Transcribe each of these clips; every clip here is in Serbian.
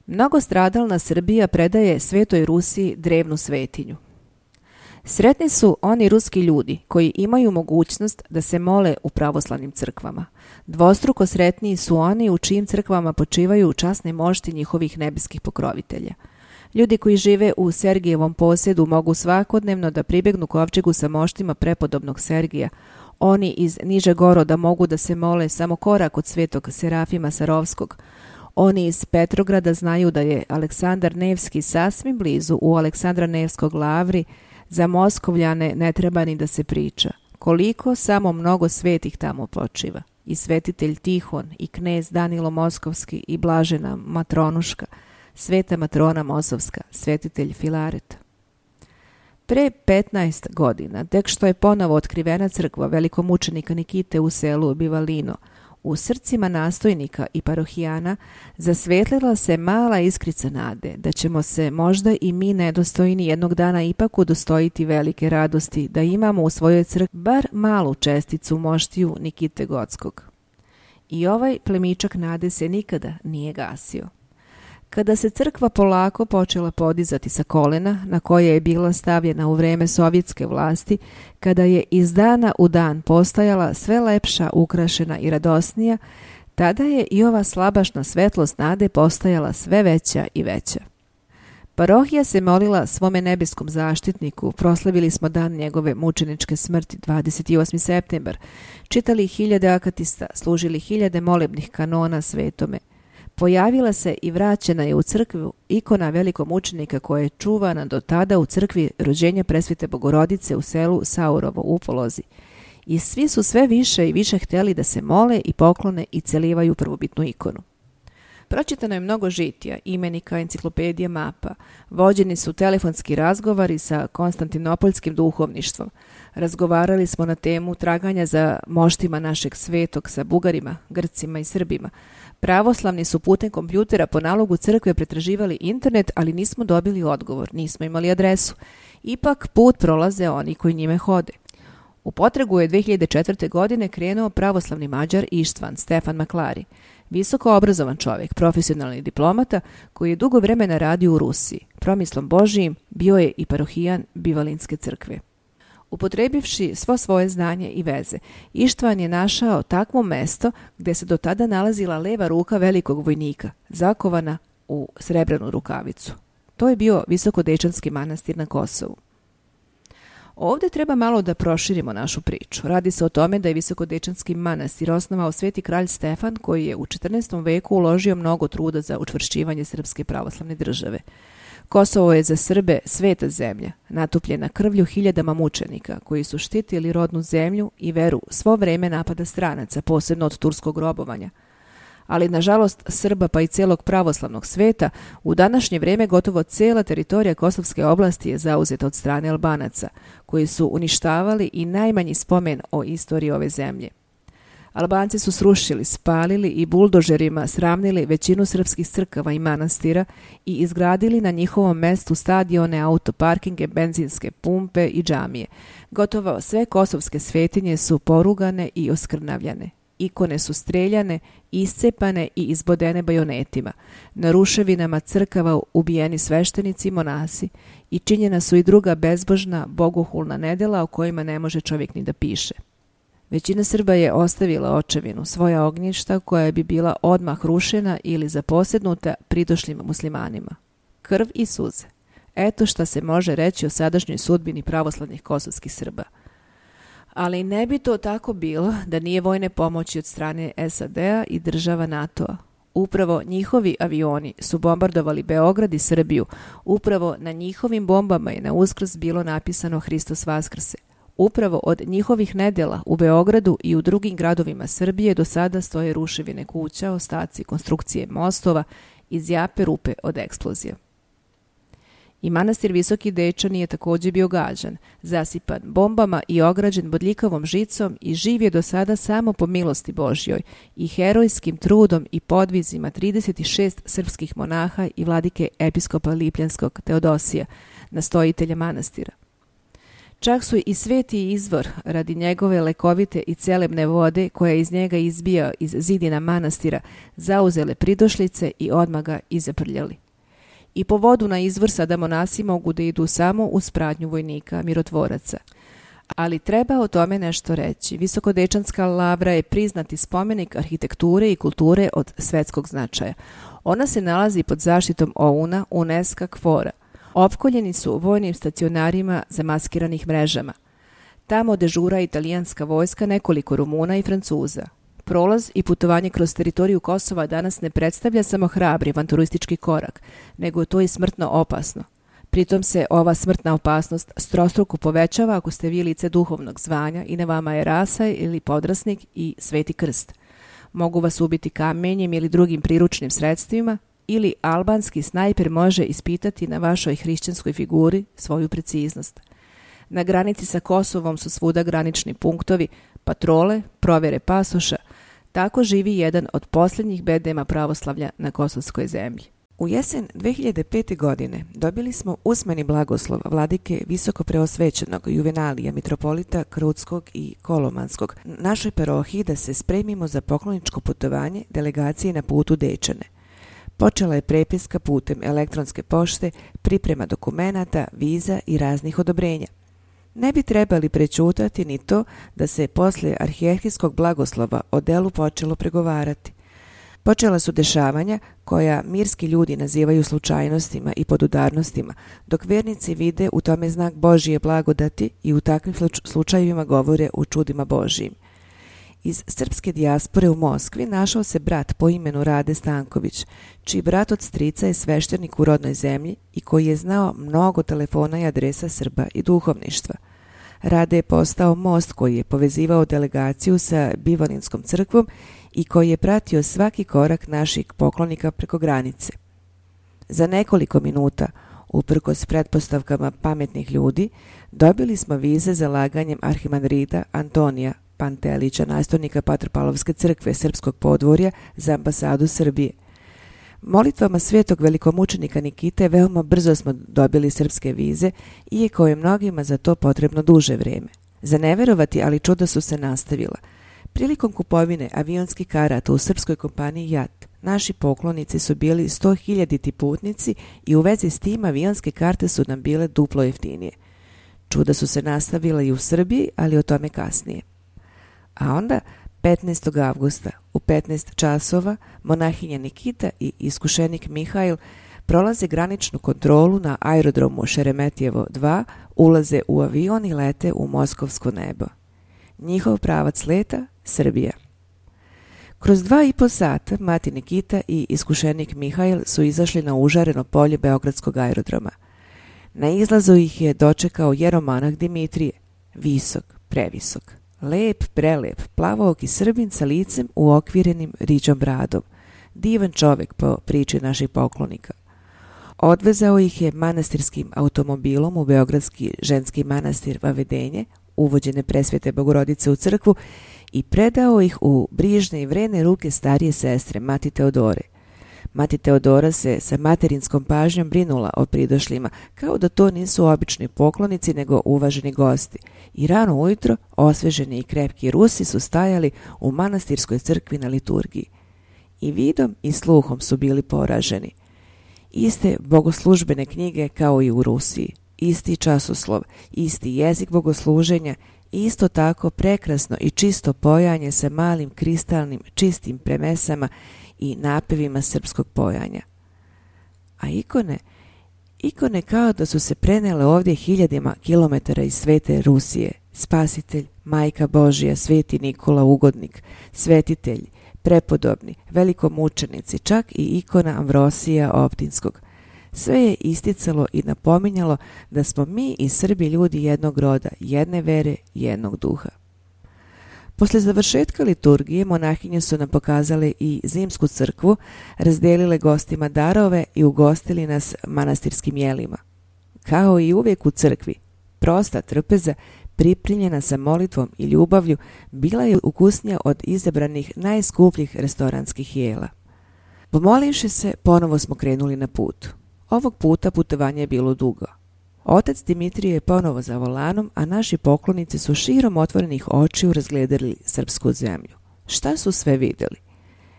Mnogo stradalna Srbija predaje Svetoj Rusiji drevnu svetinju. Sretni su oni ruski ljudi koji imaju mogućnost da se mole u pravoslavnim crkvama. Dvostruko sretniji su oni u čijim crkvama počivaju časne mošti njihovih nebeskih pokrovitelja. Ljudi koji žive u Sergijevom posjedu mogu svakodnevno da pribegnu kovčegu sa moštima prepodobnog Sergija. Oni iz Nižegoroda mogu da se mole samo korak od svetog Serafima Sarovskog. Oni iz Petrograda znaju da je Aleksandar Nevski sasvim blizu u Aleksandra Nevskog lavri. Za Moskovljane ne treba ni da se priča. Koliko samo mnogo svetih tamo počiva. I svetitelj Tihon, i knez Danilo Moskovski, i blažena Matronuška, sveta matrona Mosovska, svetitelj Filaret. Pre 15 godina, tek što je ponovo otkrivena crkva velikomučenika Nikite u selu Bivalino, u srcima nastojnika i parohijana zasvetlila se mala iskrica nade da ćemo se možda i mi nedostojni jednog dana ipak udostojiti velike radosti da imamo u svojoj crkvi bar malu česticu moštiju Nikite Gotskog. I ovaj plemičak nade se nikada nije gasio. Kada se crkva polako počela podizati sa kolena na koje je bila stavljena u vreme sovjetske vlasti, kada je iz dana u dan postajala sve lepša, ukrašena i radosnija, tada je i ova slabašna svetlost nade postajala sve veća i veća. Parohija se molila svome nebeskom zaštitniku, proslavili smo dan njegove mučeničke smrti 28. septembar, čitali hiljade akatista, služili hiljade molebnih kanona svetome. Pojavila se i vraćena je u crkvu ikona velikog mučenika koja je čuvana do tada u crkvi rođenja presvete Bogorodice u selu Saurovo u Polozi. I svi su sve više i više htjeli da se mole i poklone i celivaju prvobitnu ikonu. Pročitano je mnogo žitija, imenika, enciklopedija, mapa. Vođeni su telefonski razgovori sa konstantinopoljskim duhovništvom. Razgovarali smo na temu traganja za moštima našeg svetog sa Bugarima, Grcima i Srbima. Pravoslavni su putem kompjutera po nalogu crkve pretraživali internet, ali nismo dobili odgovor, nismo imali adresu. Ipak put prolaze oni koji njime hode. U potragu je 2004. godine krenuo pravoslavni Mađar Ištvan Stefan Maklari, visoko obrazovan čovjek, profesionalni diplomata koji je dugo vremena radio u Rusiji. Promislom Božijim bio je i parohijan Bivalinske crkve. Upotrebivši svo svoje znanje i veze, Ištvan je našao takvo mesto gdje se do tada nalazila leva ruka velikog vojnika, zakovana u srebrnu rukavicu. To je bio Visokodečanski manastir na Kosovu. Ovdje treba malo da proširimo našu priču. Radi se o tome da je Visokodečanski manastir osnovao sveti kralj Stefan koji je u 14. veku uložio mnogo truda za učvršćivanje srpske pravoslavne države. Kosovo je za Srbe sveta zemlja, natupljena krvlju hiljadama mučenika koji su štitili rodnu zemlju i veru svo vreme napada stranaca, posebno od turskog robovanja. Ali, nažalost, Srba pa i celog pravoslavnog sveta, u današnje vrijeme gotovo cijela teritorija Kosovske oblasti je zauzeta od strane Albanaca, koji su uništavali i najmanji spomen o istoriji ove zemlje. Albanci su srušili, spalili i buldožerima sravnili većinu srpskih crkava i manastira i izgradili na njihovom mestu stadione, autoparkinge, benzinske pumpe i džamije. Gotovo sve kosovske svetinje su porugane i oskrnavljane. Ikone su streljane, iscepane i izbodene bajonetima. Na ruševinama crkava ubijeni sveštenici i monasi i činjena su i druga bezbožna, bogohulna nedela o kojima ne može čovjek ni da piše. Većina Srba je ostavila očevinu, svoja ognjišta koja bi bila odmah rušena ili zaposjednuta pridošlim muslimanima. Krv i suze. Eto šta se može reći o sadašnjoj sudbini pravoslavnih kosovskih Srba. Ali ne bi to tako bilo da nije vojne pomoći od strane SAD-a i država NATO-a. Upravo njihovi avioni su bombardovali Beograd i Srbiju. Upravo na njihovim bombama je na Uskrs bilo napisano Hristos Vaskrse. Upravo od njihovih nedjela u Beogradu i u drugim gradovima Srbije do sada stoje ruševine kuća, ostaci konstrukcije mostova i zjape rupe od eksplozija. I manastir Visoki Dečan je također bio gađan, zasipan bombama i ograđen bodljikavom žicom i živ je do sada samo po milosti Božjoj i herojskim trudom i podvizima 36 srpskih monaha i vladike episkopa Lipljanskog Teodosija, nastojitelja manastira. Čak su i sveti izvor radi njegove lekovite i celebne vode koja iz njega izbija iz zidina manastira zauzele pridošlice i odmah ga izaprljali. I po vodu na izvor sada monasi mogu da idu samo uz pratnju vojnika, mirotvoraca. Ali treba o tome nešto reći. Visokodečanska lavra je priznati spomenik arhitekture i kulture od svetskog značaja. Ona se nalazi pod zaštitom OUN-a, UNESCO KFOR-a. Opkoljeni su vojnim stacionarima zamaskiranih mrežama. Tamo dežura italijanska vojska, nekoliko Rumuna i Francuza. Prolaz i putovanje kroz teritoriju Kosova danas ne predstavlja samo hrabri avanturistički korak, nego je to i smrtno opasno. Pritom se ova smrtna opasnost strostruko povećava ako ste vi lice duhovnog zvanja i na vama je rasa ili podrasnik i sveti krst. Mogu vas ubiti kamenjem ili drugim priručnim sredstvima, ili albanski snajper može ispitati na vašoj hrišćanskoj figuri svoju preciznost. Na granici sa Kosovom su svuda granični punktovi, patrole, provjere pasoša. Tako živi jedan od posljednjih bedema pravoslavlja na kosovskoj zemlji. U jesen 2005. godine dobili smo usmeni blagoslov vladike visokopreosvećenog Juvenalija, mitropolita Krutskog i Kolomanskog, našoj parohiji da se spremimo za pokloničko putovanje delegacije na putu Dečane. Počela je prepiska putem elektronske pošte, priprema dokumenata, viza i raznih odobrenja. Ne bi trebali prećutati ni to da se poslije arhijerhijskog blagoslova o delu počelo pregovarati. Počela su dešavanja koja mirski ljudi nazivaju slučajnostima i podudarnostima, dok vjernici vide u tome znak Božije blagodati i u takvim slučajevima govore o čudima Božijim. Iz srpske dijaspore u Moskvi našao se brat po imenu Rade Stanković, čiji brat od strica je sveštenik u rodnoj zemlji i koji je znao mnogo telefona i adresa Srba i duhovništva. Rade je postao most koji je povezivao delegaciju sa Bivolinskom crkvom i koji je pratio svaki korak naših poklonika preko granice. Za nekoliko minuta, uprkos pretpostavkama pametnih ljudi, dobili smo vize za laganjem arhimandrita Antonija Pantelića, nastojnika Patropalovske crkve Srpskog podvorja, za ambasadu Srbije. Molitvama svetog velikomučenika Nikite veoma brzo smo dobili srpske vize, iako je mnogima za to potrebno duže vrijeme. Za neverovati, ali čuda su se nastavila. Prilikom kupovine avionskih karata u srpskoj kompaniji JAT, naši poklonici su bili 100.000 putnici i u vezi s tim avionske karte su nam bile duplo jeftinije. Čuda su se nastavila i u Srbiji, ali o tome kasnije. A onda 15. avgusta u 15 časova monahinja Nikita i iskušenik Mihajl prolaze graničnu kontrolu na aerodromu Šeremetijevo 2, ulaze u avion i lete u moskovsko nebo. Njihov pravac leta Srbija. Kroz 2,5 sata mati Nikita i iskušenik Mihajl su izašli na užareno polje Beogradskog aerodroma. Na izlazu ih je dočekao jeromonah Dimitrije, visok, previsok. Lep, prelep, plavook i Srbin sa licem uokvirenim riđom bradom. Divan čovjek po priči naših poklonika. Odvezao ih je manastirskim automobilom u beogradski ženski manastir Vavedenje, uvođene presvete Bogorodice u crkvu, i predao ih u brižne i vrene ruke starije sestre, mati Teodore. Mati Teodora se sa materinskom pažnjom brinula o pridošlima, kao da to nisu obični poklonici, nego uvaženi gosti. I rano ujutro, osveženi i krepki Rusi su stajali u manastirskoj crkvi na liturgiji. I vidom i sluhom su bili poraženi. Iste bogoslužbene knjige kao i u Rusiji, isti časoslov, isti jezik bogosluženja, isto tako prekrasno i čisto pojanje sa malim kristalnim čistim premesama i napevima srpskog pojanja. A ikone kao da su se prenele ovdje hiljadima kilometara iz svete Rusije. Spasitelj, Majka Božija, sveti Nikola Ugodnik, svetitelj, prepodobni, velikomučenici, čak i ikona Amvrosija Optinskog. Sve je isticalo i napominjalo da smo mi i Srbi ljudi jednog roda, jedne vere, jednog duha. Posle završetka liturgije monahinje su nam pokazale i zimsku crkvu, razdelile gostima darove i ugostili nas manastirskim jelima. Kao i uvijek u crkvi, prosta trpeza, pripremljena sa molitvom i ljubavlju, bila je ukusnija od izabranih najskupljih restoranskih jela. Pomolivši se, ponovo smo krenuli na put. Ovog puta putovanje je bilo dugo. Otac Dimitrije je ponovo za volanom, a naši poklonici su širom otvorenih očiju razgledali srpsku zemlju. Šta su sve vidjeli?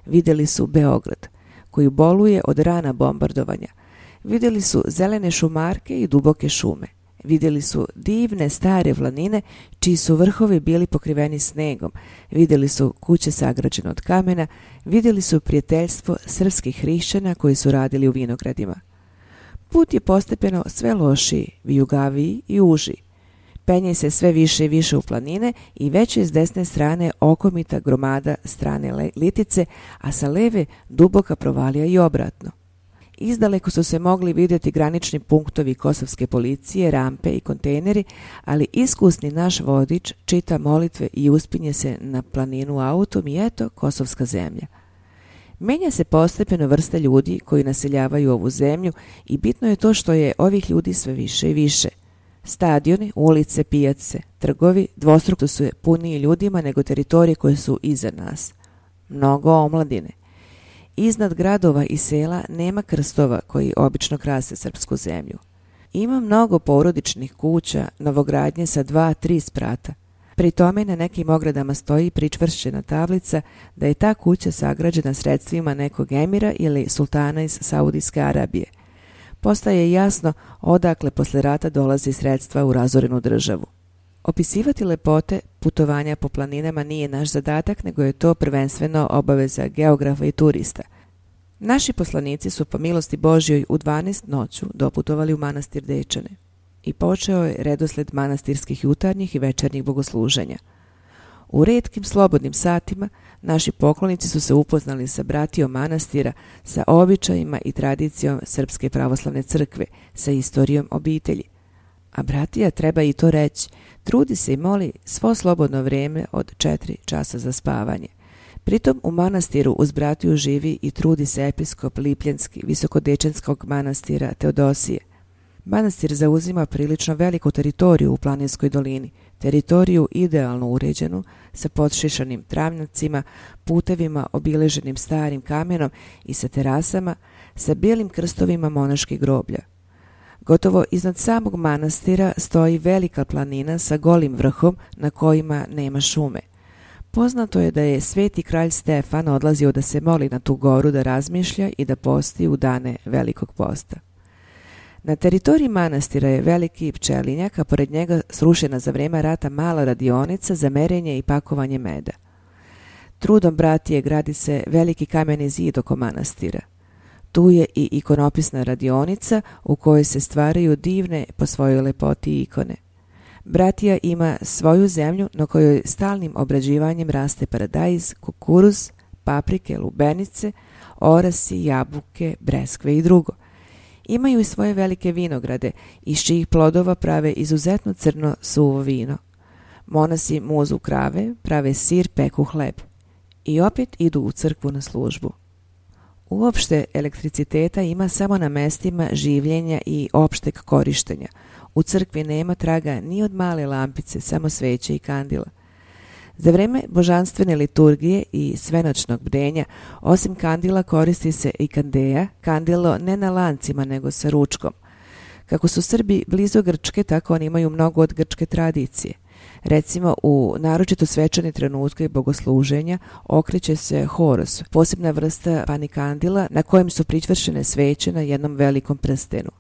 Vidjeli su Beograd, koji boluje od rana bombardovanja. Vidjeli su zelene šumarke i duboke šume. Vidjeli su divne stare planine, čiji su vrhovi bili pokriveni snegom. Vidjeli su kuće sagrađene od kamena. Vidjeli su prijateljstvo srpskih hrišćana koji su radili u vinogradima. Put je postepeno sve lošiji, vijugaviji i uži. Penje se sve više i više u planine i već je s desne strane okomita gromada strane Litice, a sa leve duboka provalija i obratno. Izdaleko su se mogli vidjeti granični punktovi kosovske policije, rampe i kontejneri, ali iskusni naš vodič čita molitve i uspinje se na planinu autom i eto kosovska zemlja. Menja se postepeno vrsta ljudi koji naseljavaju ovu zemlju i bitno je to što je ovih ljudi sve više i više. Stadioni, ulice, pijace, trgovi dvostruko su puniji ljudima nego teritorije koje su iza nas. Mnogo omladine. Iznad gradova i sela nema krstova koji obično krase srpsku zemlju. Ima mnogo porodičnih kuća, novogradnje sa 2-3 sprata. Pri tome na nekim ogradama stoji pričvršćena tablica da je ta kuća sagrađena sredstvima nekog emira ili sultana iz Saudijske Arabije. Postaje jasno odakle posle rata dolazi sredstva u razorenu državu. Opisivati lepote putovanja po planinama nije naš zadatak, nego je to prvenstveno obaveza geografa i turista. Naši poslanici su po milosti Božjoj u 12 noću doputovali u manastir Dečane i počeo je redosled manastirskih jutarnjih i večernjih bogosluženja. U retkim slobodnim satima naši poklonici su se upoznali sa bratijom manastira, sa običajima i tradicijom Srpske pravoslavne crkve, sa istorijom obitelji. A bratija, treba i to reći, trudi se i moli svo slobodno vrijeme od 4 časa za spavanje. Pritom u manastiru uz bratiju živi i trudi se episkop Lipljenski Visokodečanskog manastira Teodosije. Manastir zauzima prilično veliku teritoriju u planinskoj dolini, teritoriju idealno uređenu, sa podšišanim travnjacima, putevima obileženim starim kamenom i sa terasama, sa bijelim krstovima monaških groblja. Gotovo iznad samog manastira stoji velika planina sa golim vrhom na kojima nema šume. Poznato je da je sveti kralj Stefan odlazio da se moli na tu goru, da razmišlja i da posti u dane velikog posta. Na teritoriji manastira je veliki pčelinjak, a pored njega srušena za vrijeme rata mala radionica za merenje i pakovanje meda. Trudom bratije gradi se veliki kameni zid oko manastira. Tu je i ikonopisna radionica u kojoj se stvaraju divne po svojoj lepoti ikone. Bratija ima svoju zemlju na kojoj stalnim obrađivanjem raste paradajz, kukuruz, paprike, lubenice, orasi, jabuke, breskve i drugo. Imaju i svoje velike vinograde, iz čijih plodova prave izuzetno crno suvo vino. Monasi muzu krave, prave sir, peku hleb. I opet idu u crkvu na službu. Uopšte elektriciteta ima samo na mestima življenja i opšteg korištenja. U crkvi nema traga ni od male lampice, samo sveće i kandila. Za vreme božanstvene liturgije i svenoćnog bdenja, osim kandila koristi se i kandeja, kandilo ne na lancima nego sa ručkom. Kako su Srbi blizu Grčke, tako oni imaju mnogo od grčke tradicije. Recimo, u naročito svečane trenutke bogosluženja okreće se horos, posebna vrsta panikandila na kojem su pričvršene sveće na jednom velikom prstenu.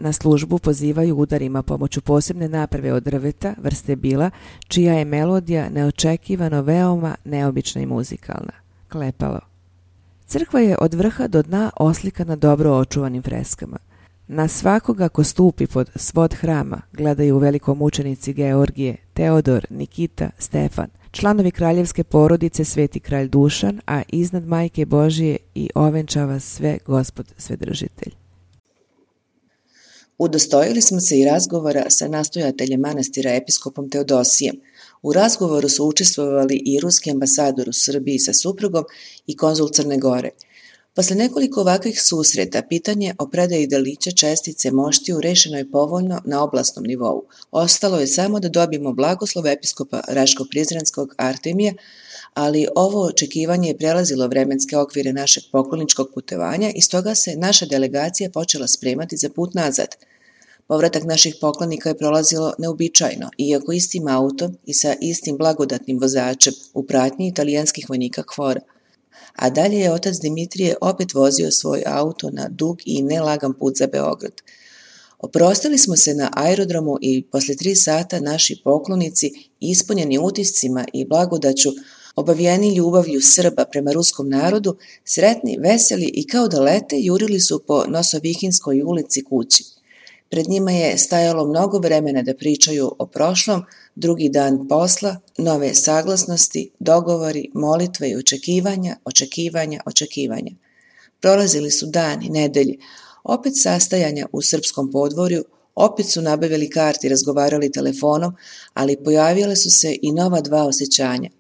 Na službu pozivaju udarima pomoću posebne naprave od drveta, vrste bila, čija je melodija neočekivano veoma neobična i muzikalna. Klepalo. Crkva je od vrha do dna oslikana dobro očuvanim freskama. Na svakoga ko stupi pod svod hrama gledaju velikomučenici Georgije, Teodor, Nikita, Stefan, članovi kraljevske porodice Sveti kralj Dušan, a iznad Majke Božije i ovenčava sve Gospod Svedržitelj. Udostojili smo se i razgovora sa nastojateljem manastira episkopom Teodosijem. U razgovoru su učestvovali i ruski ambasador u Srbiji sa suprugom i konzul Crne Gore. Posle nekoliko ovakvih susreta, pitanje o predaji delića čestice moštiju rešeno je povoljno na oblastnom nivou. Ostalo je samo da dobijemo blagoslov episkopa Raško-Prizrenskog Artemija, ali ovo očekivanje je prelazilo vremenske okvire našeg pokloničkog putovanja i stoga se naša delegacija počela spremati za put nazad. Povratak naših poklonika je prolazilo neobičajno, iako istim autom i sa istim blagodatnim vozačem u pratnji italijanskih vojnika KFOR-a. A dalje je otac Dimitrije opet vozio svoj auto na dug i nelagan put za Beograd. Oprostili smo se na aerodromu i posle 3 sata naši poklonici, ispunjeni utiscima i blagodaću, obavijeni ljubavlju Srba prema ruskom narodu, sretni, veseli i kao da lete, jurili su po Nosovihinskoj ulici kući. Pred njima je stajalo mnogo vremena da pričaju o prošlom, drugi dan posla, nove saglasnosti, dogovori, molitve i očekivanja. Prolazili su dani, nedelje, opet sastajanja u srpskom podvorju, opet su nabavili karte i razgovarali telefonom, ali pojavile su se i nova 2 osjećanja.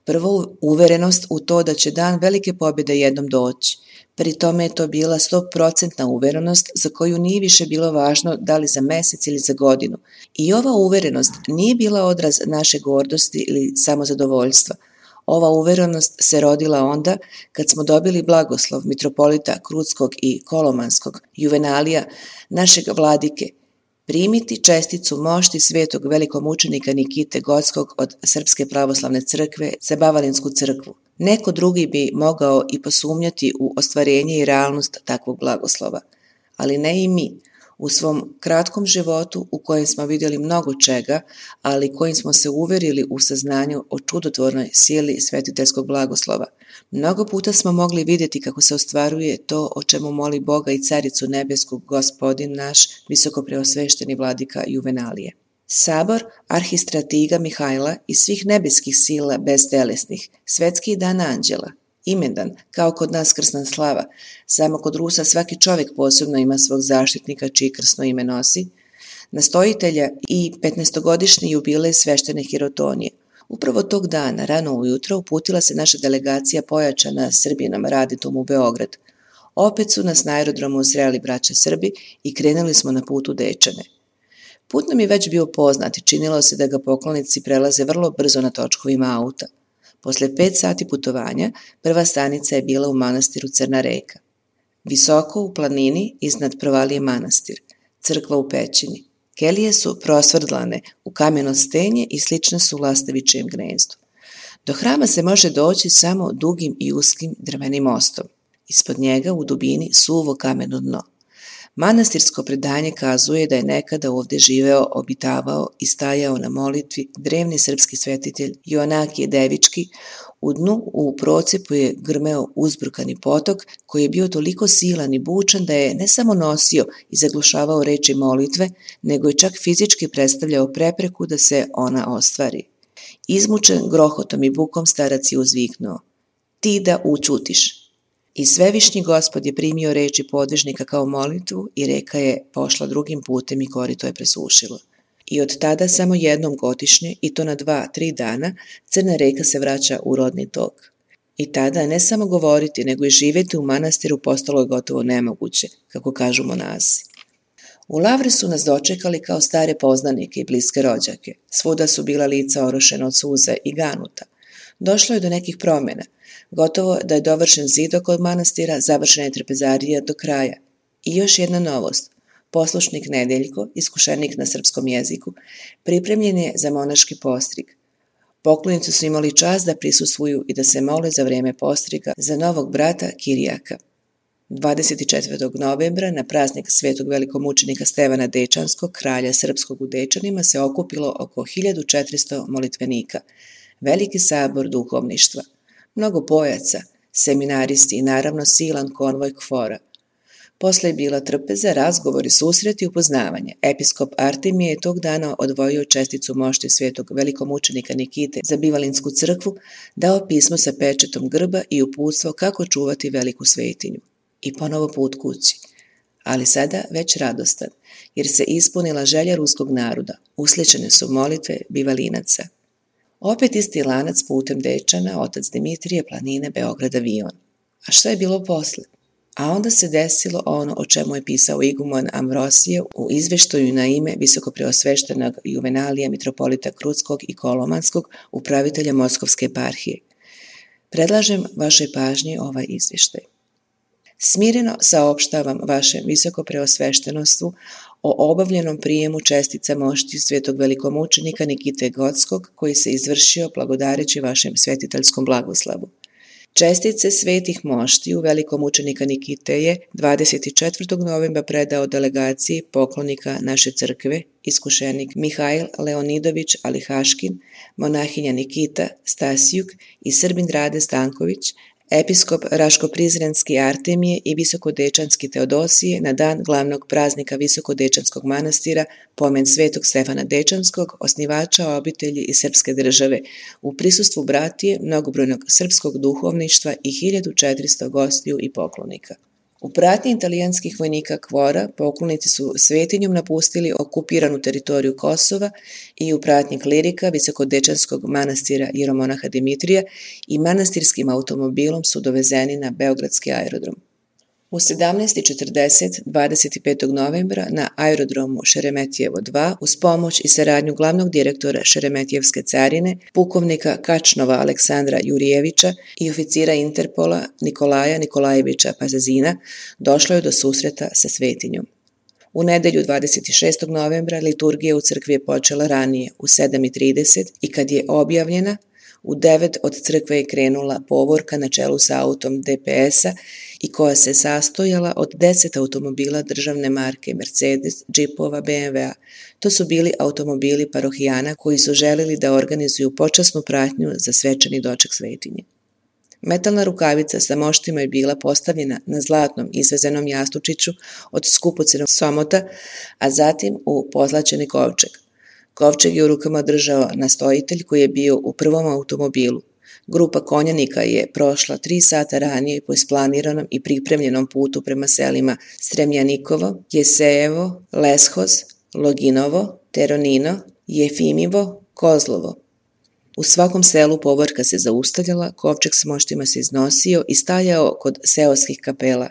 Prvo, uverenost u to da će dan velike pobjede jednom doći. Pri tome je to bila 100% uverenost za koju nije više bilo važno da li za mesec ili za godinu. I ova uverenost nije bila odraz naše gordosti ili samozadovoljstva. Ova uverenost se rodila onda kad smo dobili blagoslov mitropolita Krutskog i Kolomanskog, Juvenalija, našeg vladike, primiti česticu mošti svetog velikomučenika Nikite Gotskog od Srpske pravoslavne crkve za Bavalinsku crkvu. Neko drugi bi mogao i posumnjati u ostvarenje i realnost takvog blagoslova, ali ne i mi. U svom kratkom životu u kojem smo vidjeli mnogo čega, ali kojim smo se uverili u saznanju o čudotvornoj sili svetiteljskog blagoslova. Mnogo puta smo mogli vidjeti kako se ostvaruje to o čemu moli Boga i Caricu nebesku Gospodin naš, visokopreosvešteni vladika Juvenalije. Sabor arhistratiga Mihajla i svih nebeskih sila beztelesnih, svetski dan anđela, imendan, kao kod nas krsna slava, samo kod Rusa svaki čovjek posebno ima svog zaštitnika čiji krsno ime nosi, nastojitelja i 15-godišnji jubilej sveštene Hirotonije. Upravo tog dana, rano ujutro, uputila se naša delegacija pojačana Srbinom raditom u Beograd. Opet su nas na aerodromu sreli braća Srbi i krenuli smo na put u Dečane. Put nam je već bio poznat i činilo se da ga poklonici prelaze vrlo brzo na točkovima auta. Posle 5 sati putovanja, prva stanica je bila u manastiru Crna reka. Visoko u planini iznad provalije manastir, crkva u pećini. Kelije su prosvrdlane u kameno stenje i slične su lastavičijem gnezdu. Do hrama se može doći samo dugim i uskim drvenim mostom. Ispod njega u dubini suvo kameno dno. Manastirsko predanje kazuje da je nekada ovdje živeo, obitavao i stajao na molitvi drevni srpski svetitelj Joanakije Devički. U dnu u procepu je grmeo uzbrukani potok koji je bio toliko silan i bučan da je ne samo nosio i zaglušavao reči molitve, nego je čak fizički predstavljao prepreku da se ona ostvari. Izmučen grohotom i bukom starac je uzviknuo: "Ti da učutiš." I svevišnji Gospod je primio reči podvižnika kao molitvu i reka je pošla drugim putem i korito je presušilo. I od tada samo jednom godišnje, i to na 2-3 dana, Crna reka se vraća u rodni tok. I tada ne samo govoriti, nego i živjeti u manastiru postalo je gotovo nemoguće, kako kažu monasi. U Lavri su nas dočekali kao stare poznanike i bliske rođake. Svuda su bila lica orošena od suza i ganuta. Došlo je do nekih promjena. Gotovo da je dovršen zid oko manastira, završena je trpezarija do kraja. I još jedna novost. Poslušnik Nedeljko, iskušenik na srpskom jeziku, pripremljen je za monaški postrig. Poklonici su imali čast da prisustvuju i da se mole za vrijeme postriga za novog brata Kirijaka. 24. novembra na praznik svetog velikomučenika Stevana Dečanskog, kralja srpskog u Dečanima, se okupilo oko 1400 molitvenika. Veliki sabor duhovništva, mnogo pojaca, seminaristi i naravno silan konvoj KFOR-a. Posle je bila trpeza, razgovori, susreti i upoznavanje. Episkop Artemije je tog dana odvojio česticu mošti svetog velikomučenika Nikite za Bivalinsku crkvu, dao pismo sa pečetom grba i uputstvo kako čuvati veliku svetinju. I ponovo put kući. Ali sada već radostan, jer se ispunila želja ruskog naroda. Usličene su molitve bivalinaca. Opet isti lanac putem Dečana, otac Dimitrije, planine, Beograd, avion. A šta je bilo posle? A onda se desilo ono o čemu je pisao iguman Ambrosije u izveštaju na ime visokopreosveštenog Juvenalija, mitropolita Krutskog i Kolomanskog, upravitelja Moskovske eparhije. Predlažem vašoj pažnji ovaj izveštaj. Smireno saopštavam vašem visokopreosveštenostvu o obavljenom prijemu čestica moštiju svetog velikomučenika Nikite Gotskog koji se izvršio blagodareći vašem svetiteljskom blagoslavu. Čestice svetih moštiju velikomučenika Nikite je 24. novembra predao delegaciji poklonika naše crkve, iskušenik Mihail Leonidović Alihaškin, monahinja Nikita Stasijuk i Srbin Rade Stanković, episkop Raško-Prizrenski Artemije i Visokodečanski Teodosije na dan glavnog praznika Visokodečanskog manastira, pomen svetog Stefana Dečanskog, osnivača obitelji i srpske države, u prisustvu bratije, mnogobrojnog srpskog duhovništva i 1400 gostiju i poklonika. U pratnji italijanskih vojnika Kvora poklonici su svetinjom napustili okupiranu teritoriju Kosova i u pratnji klirika Visokodečanskog manastira jeromonaha Dimitrija i manastirskim automobilom su dovezeni na Beogradski aerodrom. U 17:40 25. novembra na aerodromu Šeremetijevo 2 uz pomoć i saradnju glavnog direktora Šeremetijevske carine, pukovnika Kačnova Aleksandra Jurijevića i oficira Interpola Nikolaja Nikolajevića Pazazina došlo je do susreta sa svetinjom. U nedelju 26. novembra liturgija u crkvi je počela ranije u 7:30 i kad je objavljena, u 9 od crkve je krenula povorka na čelu sa autom DPS-a i koja se sastojala od 10 automobila državne marke Mercedes, džipova, BMW-a. To su bili automobili parohijana koji su želeli da organizuju počasnu pratnju za svečani doček svetinje. Metalna rukavica sa moštima je bila postavljena na zlatnom izvezenom jastučiću od skupocenog somota, a zatim u pozlaćeni kovčeg. Kovčeg je u rukama držao nastojitelj koji je bio u prvom automobilu. Grupa konjanika je prošla 3 sata ranije po isplaniranom i pripremljenom putu prema selima Stremjanikovo, Jesejevo, Leshoz, Loginovo, Teronino, Jefimivo, Kozlovo. U svakom selu povorka se zaustavljala, kovčeg s moštima se iznosio i stajao kod seoskih kapela.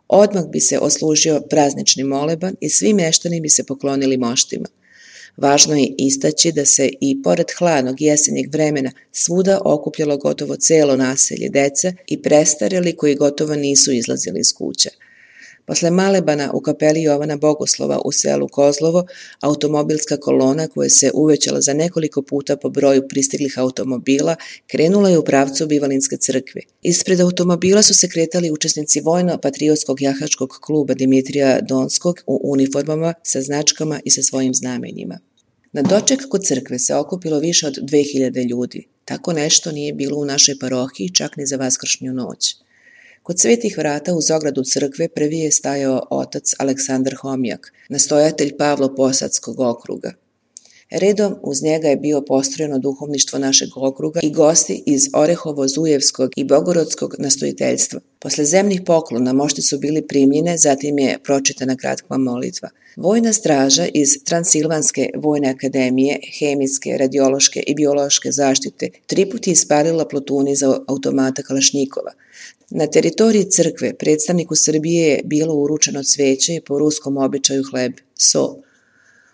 Odmah bi se oslužio praznični moleban i svi meštani bi se poklonili moštima. Važno je istaći da se i pored hladnog jesenjeg vremena svuda okupljalo gotovo celo naselje deca i prestareli koji gotovo nisu izlazili iz kuća. Posle malebana u kapeli Jovana Bogoslova u selu Kozlovo, automobilska kolona koja se uvećala za nekoliko puta po broju pristiglih automobila krenula je u pravcu Bivalinske crkve. Ispred automobila su se kretali učesnici vojno-patriotskog jahačkog kluba Dimitrija Donskog u uniformama sa značkama i sa svojim znamenjima. Na doček kod crkve se okupilo više od 2000 ljudi. Tako nešto nije bilo u našoj parohiji čak ni za vaskršnju noć. Kod svetih vrata uz ogradu crkve prvi je stajao otac Aleksandar Homijak, nastojatelj Pavlo-Posadskog okruga. Redom uz njega je bio postrojeno duhovništvo našeg okruga i gosti iz Orehovo-Zujevskog i Bogorodskog nastojiteljstva. Posle zemnih poklona mošti su bili primljene, zatim je pročitana kratka molitva. Vojna straža iz Transilvanske vojne akademije, hemijske, radiološke i biološke zaštite 3 puta je ispalila plotuni za automata Kalašnjikova. Na teritoriji crkve predstavniku Srbije je bilo uručeno cveće i po ruskom običaju hleb, so.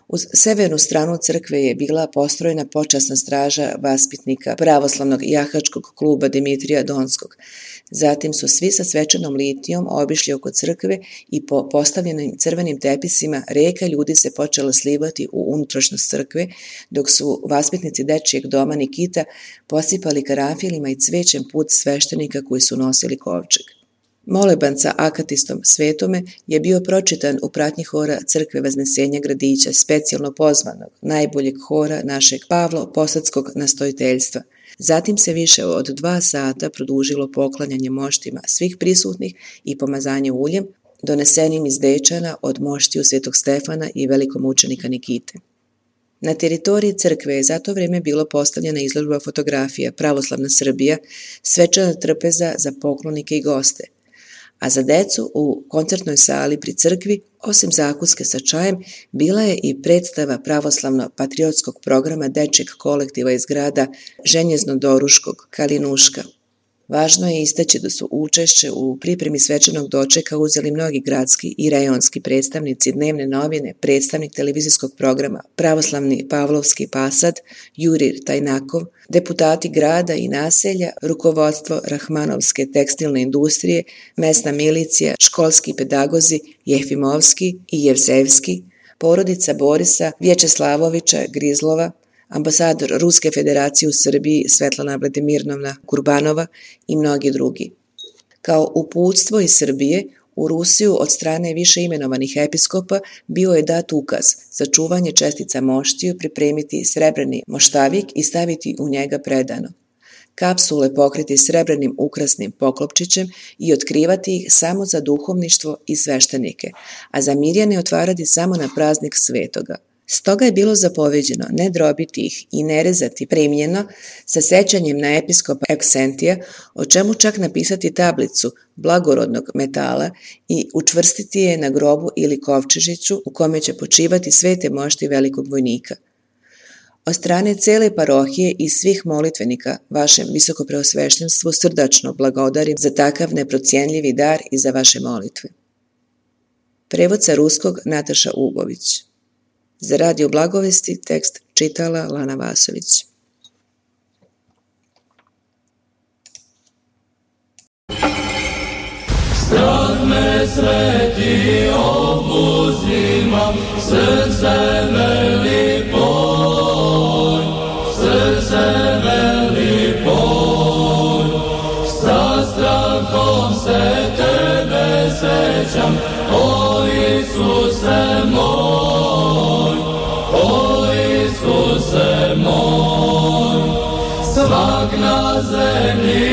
Uz severnu stranu crkve je bila postrojena počasna straža vaspitnika pravoslavnog jahačkog kluba Dimitrija Donskog. Zatim su svi sa svečanom litijom obišli oko crkve i po postavljenim crvenim tepisima reka ljudi se počela slivati u unutrašnjost crkve, dok su vaspitnici dečijeg doma Nikita posipali karanfilima i cvećem put sveštenika koji su nosili kovčeg. Moleban sa akatistom Svetome je bio pročitan u pratnji hora Crkve Vaznesenja Gradića, specijalno pozvanog, najboljeg hora našeg Pavlo-Posadskog nastojiteljstva. Zatim se više od 2 sata produžilo poklanjanje moštima svih prisutnih i pomazanje uljem, donesenim iz Dečana od moštiju Svetog Stefana i velikomučenika Nikite. Na teritoriji crkve je za to vreme bilo postavljena izložba fotografija Pravoslavna Srbija, svečana trpeza za poklonike i goste. A za decu u koncertnoj sali pri crkvi, osim zakuske sa čajem, bila je i predstava pravoslavno-patriotskog programa dečjeg kolektiva iz grada Ženjezno-Doruškog, Kalinuška. Važno je istaći da su učešće u pripremi svečanog dočeka uzeli mnogi gradski i rejonski predstavnici dnevne novine, predstavnik televizijskog programa Pravoslavni Pavlovski Pasad, Jurir Tajnakov, deputati grada i naselja, rukovodstvo Rahmanovske tekstilne industrije, mesna milicija, školski pedagozi Jefimovski i Jevsevski, porodica Borisa Vječeslavovića Grizlova, ambasador Ruske federacije u Srbiji Svetlana Vladimirnovna Kurbanova i mnogi drugi. Kao uputstvo iz Srbije, u Rusiju od strane više imenovanih episkopa bio je dat ukaz za čuvanje čestica moštiju, pripremiti srebrni moštavik i staviti u njega predano. Kapsule pokriti srebrnim ukrasnim poklopčićem i otkrivati ih samo za duhovništvo i sveštenike, a za mirjane otvarati samo na praznik svetoga. Stoga je bilo zapoveđeno ne drobiti ih i ne rezati primljeno sa sećanjem na episkopa Euksentija, o čemu čak napisati tablicu blagorodnog metala i učvrstiti je na grobu ili kovčežiću u kome će počivati svete mošti velikog vojnika. Od strane cele parohije i svih molitvenika vašem visokopreosveštenstvu srdačno blagodarim za takav neprocijenljivi dar i za vaše molitve. Prevod sa ruskog Nataša Ugović. Za Radio Blagovesti tekst čitala Lana Vasović. Strah me sveti obuzima, srce veli poj, srce veli poj. Sa strahom se tebe sećam, o Isuse moj, o Isuse moj. Svak na zemlji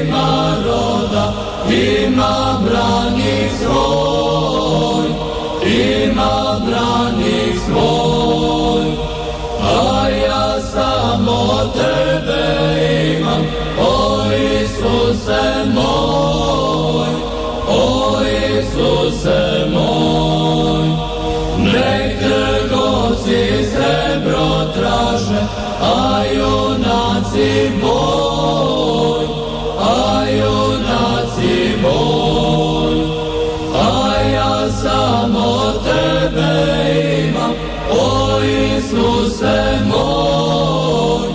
ima roda, ima branik svoj, ima branik svoj, a ja samo tebe imam, o Isuse moj, o Isuse moj. Nek trgovci srebro traže, a junaci boj, a junaci boj, a ja samo tebe imam, o Isuse moj,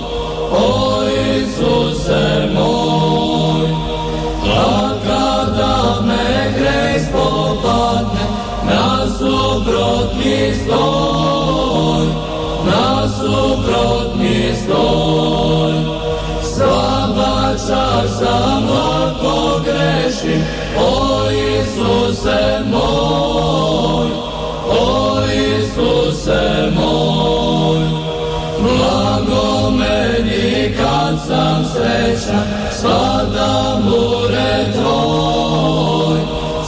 o Isuse moj. A kada me greh spopadne, nasuprot mi stoj, nasuprot mi stoj. Slaba čak samo pogrešim, o Isuse moj, o Isuse moj. Blago meni kad sam srećan, spadam u red tvoj,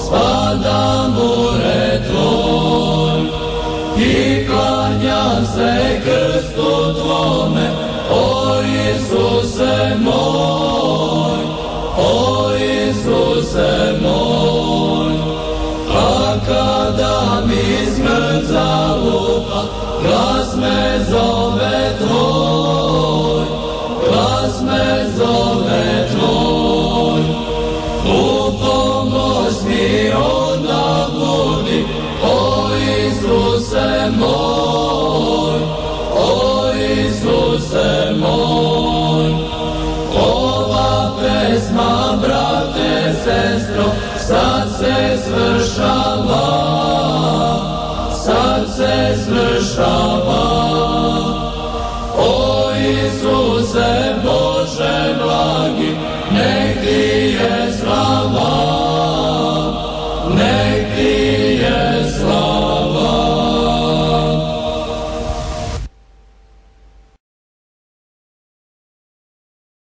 spadam u red tvoj. I klanjam se krstu tvome, o Isuse moj, o Isuse moj. A kada mi smrt zalupa, glas me zove tvoj, glas me zove tvoj. U pomoć mi onda budi, o Isuse moj, o Isuse moj. Ova pesma, brate, sestro, sad se svršava, sad se svršava.